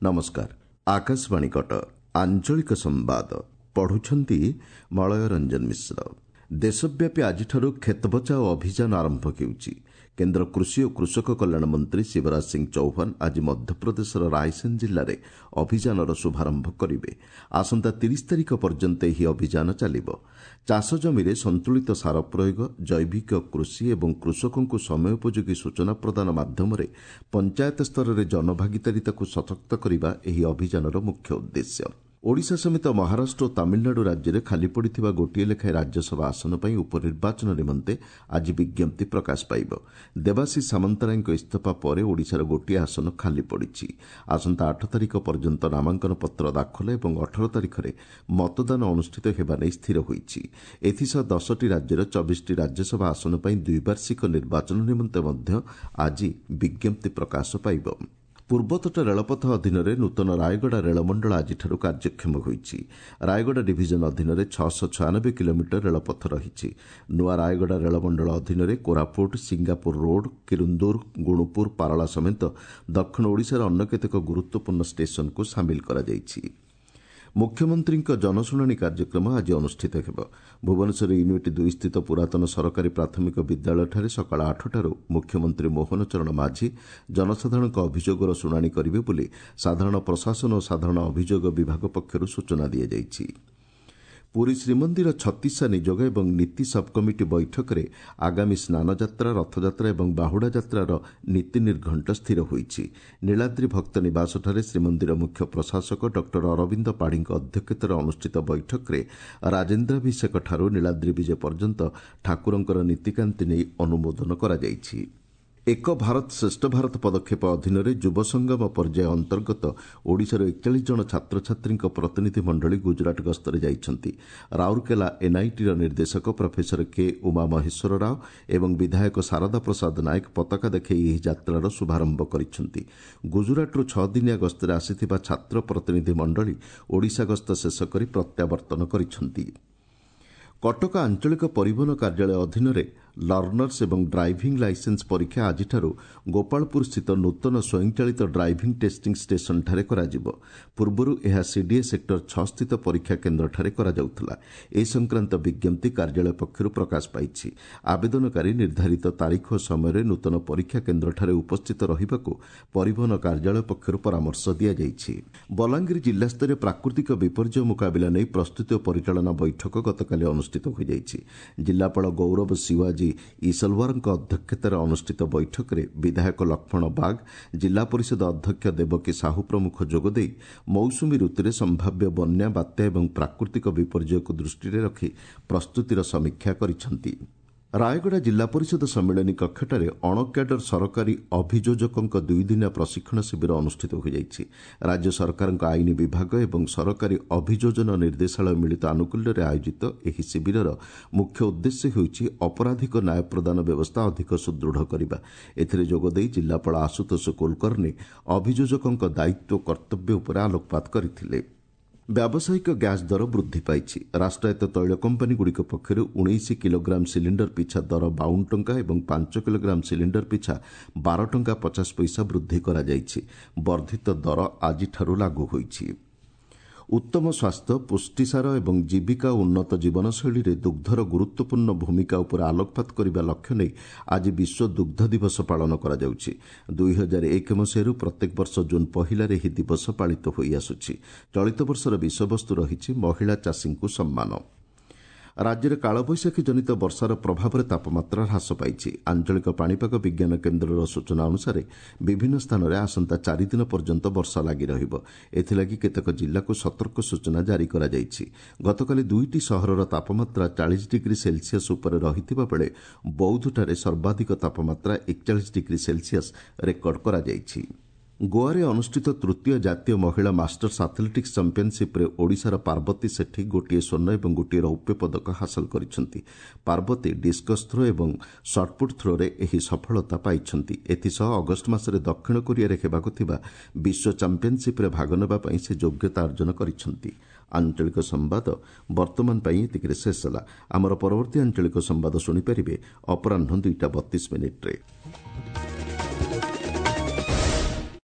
ନମସ୍କାର, ଆକାଶବାଣୀ କଟକ, ଆଞ୍ଚଳିକ ସମ୍ବାଦ ପଢୁଛନ୍ତି ମଳୟ ରଞ୍ଜନ ମିଶ୍ର। ଦେଶବ୍ୟାପୀ ଆଜିଠାରୁ କ୍ଷେତ ବଚାଓ ଅଭିଯାନ ଆରମ୍ଭ ହେଉଛି। କେନ୍ଦ୍ର କୃଷି ଓ କୃଷକ କଲ୍ୟାଣ ମନ୍ତ୍ରୀ ଶିବରାଜ ସିଂ ଚୌହାନ ଆଜି ମଧ୍ୟପ୍ରଦେଶର ରାୟସେନ ଜିଲ୍ଲାରେ ଅଭିଯାନର ଶୁଭାରମ୍ଭ କରିବେ। ଆସନ୍ତା 30 ତାରିଖ ପର୍ଯ୍ୟନ୍ତ ଏହି ଅଭିଯାନ ଚାଲିବ। ଚାଷ ଜମିରେ ସନ୍ତୁଳିତ ସାର ପ୍ରୟୋଗ, ଜୈବିକ କୃଷି ଏବଂ କୃଷକଙ୍କୁ ସମୟୋପଯୋଗୀ ସୂଚନା ପ୍ରଦାନ ମାଧ୍ୟମରେ ପଞ୍ଚାୟତ ସ୍ତରରେ ଜନଭାଗିଦାରିତାକୁ ସଶକ୍ତ କରିବା ଏହି ଅଭିଯାନର ମୁଖ୍ୟ ଉଦ୍ଦେଶ୍ୟ। ଓଡ଼ିଶା ସମେତ ମହାରାଷ୍ଟ୍ର ଓ ତାମିଲନାଡୁ ରାଜ୍ୟରେ ଖାଲିପଡ଼ିଥିବା ଗୋଟିଏ ଲେଖାଏଁ ରାଜ୍ୟସଭା ଆସନ ପାଇଁ ଉପନିର୍ବାଚନ ନିମନ୍ତେ ଆଜି ବିଜ୍ଞପ୍ତି ପ୍ରକାଶ ପାଇବ। ଦେବାଶିଷ ସାମନ୍ତରାୟଙ୍କ ଇସ୍ତଫା ପରେ ଓଡ଼ିଶାର ଗୋଟିଏ ଆସନ ଖାଲି ପଡ଼ିଛି। ଆସନ୍ତା 8 ତାରିଖ ପର୍ଯ୍ୟନ୍ତ ନାମାଙ୍କନ ପତ୍ର ଦାଖଲ ଏବଂ 18 ତାରିଖରେ ମତଦାନ ଅନୁଷ୍ଠିତ ହେବା ନେଇ ସ୍ଥିର ହୋଇଛି। ଏଥିସହ 10ଟି ରାଜ୍ୟର 24ଟି ରାଜ୍ୟସଭା ଆସନ ପାଇଁ ଦ୍ୱିବାର୍ଷିକ ନିର୍ବାଚନ ନିମନ୍ତେ ମଧ୍ୟ ଆଜି ବିଜ୍ଞପ୍ତି ପ୍ରକାଶ ପାଇବ। ପୂର୍ବତଟ ରେଳପଥ ଅଧୀନରେ ନୂତନ ରାୟଗଡ଼ା ରେଳମଣ୍ଡଳ ଆଜିଠାରୁ କାର୍ଯ୍ୟକ୍ଷମ ହୋଇଛି। ରାୟଗଡ଼ା ଡିଭିଜନ ଅଧୀନରେ 696 କିଲୋମିଟର ରେଳପଥ ରହିଛି। ନୂଆ ରାୟଗଡ଼ା ରେଳମଣ୍ଡଳ ଅଧୀନରେ କୋରାପୁଟ, ସିଙ୍ଗାପୁର ରୋଡ୍, କିରୁନ୍ଦୁର, ଗୁଣୁପୁର, ପାରଳା ସମେତ ଦକ୍ଷିଣ ଓଡ଼ିଶାର ଅନ୍ୟ କେତେକ ଗୁରୁତ୍ୱପୂର୍ଣ୍ଣ ଷ୍ଟେସନକୁ ସାମିଲ କରାଯାଇଛି। ମୁଖ୍ୟମନ୍ତ୍ରୀଙ୍କ ଜନଶୁଣାଣି କାର୍ଯ୍ୟକ୍ରମ ଆଜି ଅନୁଷ୍ଠିତ ହେବ। ଭୁବନେଶ୍ୱର ୟୁନିଟ୍ 2 ସ୍ଥିତ ପୁରାତନ ସରକାରୀ ପ୍ରାଥମିକ ବିଦ୍ୟାଳୟଠାରେ ସକାଳ 8ଟାରୁ ମୁଖ୍ୟମନ୍ତ୍ରୀ ମୋହନ ଚରଣ ମାଝୀ ଜନସାଧାରଣଙ୍କ ଅଭିଯୋଗର ଶୁଣାଣି କରିବେ ବୋଲି ସାଧାରଣ ପ୍ରଶାସନ ଓ ସାଧାରଣ ଅଭିଯୋଗ ବିଭାଗ ପକ୍ଷରୁ ସୂଚନା ଦିଆଯାଇଛି। ପୁରୀ ଶ୍ରୀମନ୍ଦିର ଛତିଶା ନିଯୋଗ ଏବଂ ନୀତି ସବ୍କମିଟି ବୈଠକରେ ଆଗାମୀ ସ୍ନାନଯାତ୍ରା, ରଥଯାତ୍ରା ଏବଂ ବାହୁଡ଼ା ଯାତ୍ରାର ନୀତି ନିର୍ଘଣ୍ଟ ସ୍ଥିର ହୋଇଛି। ନୀଳାଦ୍ରି ଭକ୍ତ ନିବାସଠାରେ ଶ୍ରୀମନ୍ଦିର ମୁଖ୍ୟ ପ୍ରଶାସକ ଡକ୍ଟର ଅରବିନ୍ଦ ପାଢ଼ୀଙ୍କ ଅଧ୍ୟକ୍ଷତାରେ ଅନୁଷ୍ଠିତ ବୈଠକରେ ରାଜେନ୍ଦ୍ରାଭିଷେକଠାରୁ ନୀଳାଦ୍ରି ବିଜେ ପର୍ଯ୍ୟନ୍ତ ଠାକୁରଙ୍କର ନୀତିକାନ୍ତି ନେଇ ଅନୁମୋଦନ କରାଯାଇଛି। ଏକ ଭାରତ ଶ୍ରେଷ୍ଠ ଭାରତ ପଦକ୍ଷେପ ଅଧୀନରେ ଯୁବ ସଙ୍ଗମ ପର୍ଯ୍ୟାୟ ଅନ୍ତର୍ଗତ ଓଡ଼ିଶାର 41 ଜଣ ଛାତ୍ରଛାତ୍ରୀଙ୍କ ପ୍ରତିନିଧି ମଣ୍ଡଳୀ ଗୁଜରାଟ ଗସ୍ତରେ ଯାଇଛନ୍ତି। ରାଉରକେଲା ଏନ୍ଆଇଟିର ନିର୍ଦ୍ଦେଶକ ପ୍ରଫେସର କେ ଉମା ମହେଶ୍ୱର ରାଓ ଏବଂ ବିଧାୟକ ଶାରଦା ପ୍ରସାଦ ନାୟକ ପତାକା ଦେଖାଇ ଏହି ଯାତ୍ରାର ଶୁଭାରମ୍ଭ କରିଛନ୍ତି। ଗୁଜରାଟରୁ 6 ଦିନିଆ ଗସ୍ତରେ ଆସିଥିବା ଛାତ୍ର ପ୍ରତିନିଧି ମଣ୍ଡଳୀ ଓଡ଼ିଶା ଗସ୍ତ ଶେଷ କରି ପ୍ରତ୍ୟାବର୍ତ୍ତନ କରିଛନ୍ତି। କଟକ ଆଞ୍ଚଳିକ ପରିବହନ କାର୍ଯ୍ୟାଳୟ ଅଧୀନରେ ଲର୍ଣ୍ଣର୍ସ ଏବଂ ଡ୍ରାଇଭିଂ ଲାଇସେନ୍ସ ପରୀକ୍ଷା ଆଜିଠାରୁ ଗୋପାଳପୁର ସ୍ଥିତ ନୂତନ ସ୍ୱୟଂଚାଳିତ ଡ୍ରାଇଭିଂ ଟେଷ୍ଟିଂ ଷ୍ଟେସନଠାରେ କରାଯିବ। ପୂର୍ବରୁ ଏହା ସିଡିଏ ସେକ୍ଟର 6 ସ୍ଥିତ ପରୀକ୍ଷା କେନ୍ଦ୍ରଠାରେ କରାଯାଉଥିଲା। ଏ ସଂକ୍ରାନ୍ତ ବିଜ୍ଞପ୍ତି କାର୍ଯ୍ୟାଳୟ ପକ୍ଷରୁ ପ୍ରକାଶ ପାଇଛି। ଆବେଦନକାରୀ ନିର୍ଦ୍ଧାରିତ ତାରିଖ ଓ ସମୟରେ ନୂତନ ପରୀକ୍ଷା କେନ୍ଦ୍ରଠାରେ ଉପସ୍ଥିତ ରହିବାକୁ ପରିବହନ କାର୍ଯ୍ୟାଳୟ ପକ୍ଷରୁ ପରାମର୍ଶ ଦିଆଯାଇଛି। ବଲାଙ୍ଗୀର ଜିଲ୍ଲାସ୍ତରୀୟ ପ୍ରାକୃତିକ ବିପର୍ଯ୍ୟୟ ମୁକାବିଲା ନେଇ ପ୍ରସ୍ତୁତି ଓ ପରିଚାଳନା ବୈଠକ ଗତକାଲି ଅନୁଷ୍ଠିତ ହୋଇଯାଇଛି। ଜିଲ୍ଲାପାଳ ଗୌରବ ଶିୱାଜୀ ଇସଲୱାରଙ୍କ ଅଧ୍ୟକ୍ଷତାରେ ଅନୁଷ୍ଠିତ ବୈଠକରେ ବିଧାୟକ ଲକ୍ଷ୍ମଣ ବାଗ, ଜିଲ୍ଲା ପରିଷଦ ଅଧ୍ୟକ୍ଷ ଦେବକୀ ସାହୁ ପ୍ରମୁଖ ଯୋଗଦେଇ ମୌସୁମୀ ଋତୁରେ ସମ୍ଭାବ୍ୟ ବନ୍ୟା, ବାତ୍ୟା ଏବଂ ପ୍ରାକୃତିକ ବିପର୍ଯ୍ୟୟକୁ ଦୃଷ୍ଟିରେ ରଖି ପ୍ରସ୍ତୁତିର ସମୀକ୍ଷା କରିଛନ୍ତି। ରାୟଗଡ଼ା ଜିଲ୍ଲା ପରିଷଦ ସମ୍ମିଳନୀ କକ୍ଷଠାରେ ଅଣକ୍ୟାଡର ସରକାରୀ ଅଭିଯୋଜକଙ୍କ ଦୁଇଦିନିଆ ପ୍ରଶିକ୍ଷଣ ଶିବିର ଅନୁଷ୍ଠିତ ହୋଇଯାଇଛି। ରାଜ୍ୟ ସରକାରଙ୍କ ଆଇନ ବିଭାଗ ଏବଂ ସରକାରୀ ଅଭିଯୋଜନ ନିର୍ଦ୍ଦେଶାଳୟ ମିଳିତ ଆନୁକୂଲ୍ୟରେ ଆୟୋଜିତ ଏହି ଶିବିରର ମୁଖ୍ୟ ଉଦ୍ଦେଶ୍ୟ ହେଉଛି ଅପରାଧିକ ନ୍ୟାୟ ପ୍ରଦାନ ବ୍ୟବସ୍ଥା ଅଧିକ ସୁଦୃଢ଼ କରିବା। ଏଥିରେ ଯୋଗଦେଇ ଜିଲ୍ଲାପାଳ ଆଶୁତୋଷ କୁଲକର୍ଣ୍ଣି ଅଭିଯୋଜକଙ୍କ ଦାୟିତ୍ୱ କର୍ତ୍ତବ୍ୟ ଉପରେ ଆଲୋକପାତ କରିଥିଲେ। ବ୍ୟାବସାୟିକ ଗ୍ୟାସ୍ ଦର ବୃଦ୍ଧି ପାଇଛି। ରାଷ୍ଟ୍ରାୟତ୍ତ ତୈଳ କମ୍ପାନୀଗୁଡ଼ିକ ପକ୍ଷରୁ 19 କିଲୋଗ୍ରାମ ସିଲିଣ୍ଡର ପିଛା ଦର 52 ଟଙ୍କା ଏବଂ 5 କିଲୋଗ୍ରାମ ସିଲିଣ୍ଡର ପିଛା 12 ଟଙ୍କା 50 ପଇସା ବୃଦ୍ଧି କରାଯାଇଛି। ବର୍ଦ୍ଧିତ ଦର ଆଜିଠାରୁ ଲାଗୁ ହୋଇଛି। ଉତ୍ତମ ସ୍ୱାସ୍ଥ୍ୟ, ପୁଷ୍ଟିସାର ଏବଂ ଜୀବିକା ଓ ଉନ୍ନତ ଜୀବନଶୈଳୀରେ ଦୁଗ୍ଧର ଗୁରୁତ୍ୱପୂର୍ଣ୍ଣ ଭୂମିକା ଉପରେ ଆଲୋକପାତ କରିବା ଲକ୍ଷ୍ୟ ନେଇ ଆଜି ବିଶ୍ୱ ଦୁଗ୍ଧ ଦିବସ ପାଳନ କରାଯାଉଛି। 2001 ମସିହାରୁ ପ୍ରତ୍ୟେକ ବର୍ଷ ଜୁନ୍ 1ରେ ଏହି ଦିବସ ପାଳିତ ହୋଇଆସୁଛି। ଚଳିତ ବର୍ଷର ବିଷୟବସ୍ତୁ ରହିଛି ମହିଳା ଚାଷୀଙ୍କୁ ସମ୍ମାନ। ରାଜ୍ୟରେ କାଳବୈଶାଖୀ ଜନିତ ବର୍ଷାର ପ୍ରଭାବରେ ତାପମାତ୍ରା ହ୍ରାସ ପାଇଛି। ଆଞ୍ଚଳିକ ପାଣିପାଗ ବିଜ୍ଞାନ କେନ୍ଦ୍ରର ସୂଚନା ଅନୁସାରେ ବିଭିନ୍ନ ସ୍ଥାନରେ ଆସନ୍ତା 4 ଦିନ ପର୍ଯ୍ୟନ୍ତ ବର୍ଷା ଲାଗି ରହିବ। ଏଥିଲାଗି କେତେକ ଜିଲ୍ଲାକୁ ସତର୍କ ସୂଚନା ଜାରି କରାଯାଇଛି। ଗତକାଲି 2ଟି ସହରର ତାପମାତ୍ରା 40 ଡିଗ୍ରୀ ସେଲସିୟସ୍ ଉପରେ ରହିଥିବା ବେଳେ ବୌଦ୍ଧଠାରେ ସର୍ବାଧିକ ତାପମାତ୍ରା 41 ଡିଗ୍ରୀ ସେଲସିୟସ୍ ରେକର୍ଡ କରାଯାଇଛି। ଗୋଆରେ ଅନୁଷ୍ଠିତ ତୃତୀୟ ଜାତୀୟ ମହିଳା ମାଷ୍ଟର୍ସ ଆଥଲେଟିକ୍ସ ଚାମ୍ପିୟନସିପ୍ରେ ଓଡ଼ିଶାର ପାର୍ବତୀ ସେଠୀ ଗୋଟିଏ ସ୍ୱର୍ଣ୍ଣ ଏବଂ ଗୋଟିଏ ରୌପ୍ୟ ପଦକ ହାସଲ କରିଛନ୍ତି। ପାର୍ବତୀ ଡିସ୍କସ୍ ଥ୍ରୋ ଏବଂ ସଟ୍ପୁଟ୍ ଥ୍ରୋରେ ଏହି ସଫଳତା ପାଇଛନ୍ତି। ଏଥିସହ ଅଗଷ୍ଟ ମାସରେ ଦକ୍ଷିଣ କୋରିଆରେ ହେବାକୁ ଥିବା ବିଶ୍ୱ ଚାମ୍ପିୟନସିପ୍ରେ ଭାଗ ନେବା ପାଇଁ ସେ ଯୋଗ୍ୟତା ଅର୍ଜନ କରିଛନ୍ତି। ଆଞ୍ଚଳିକ ସମ୍ବାଦ ବର୍ତ୍ତମାନ ପାଇଁ ଏତିକିରେ ଶେଷ ହେଲା। ଆମର ପରବର୍ତ୍ତୀ ଆଞ୍ଚଳିକ ସମ୍ବାଦ ଶୁଣିପାରିବେ ଅପରାହ୍ନ 2ଟା 32 ମିନିଟ୍ରେ।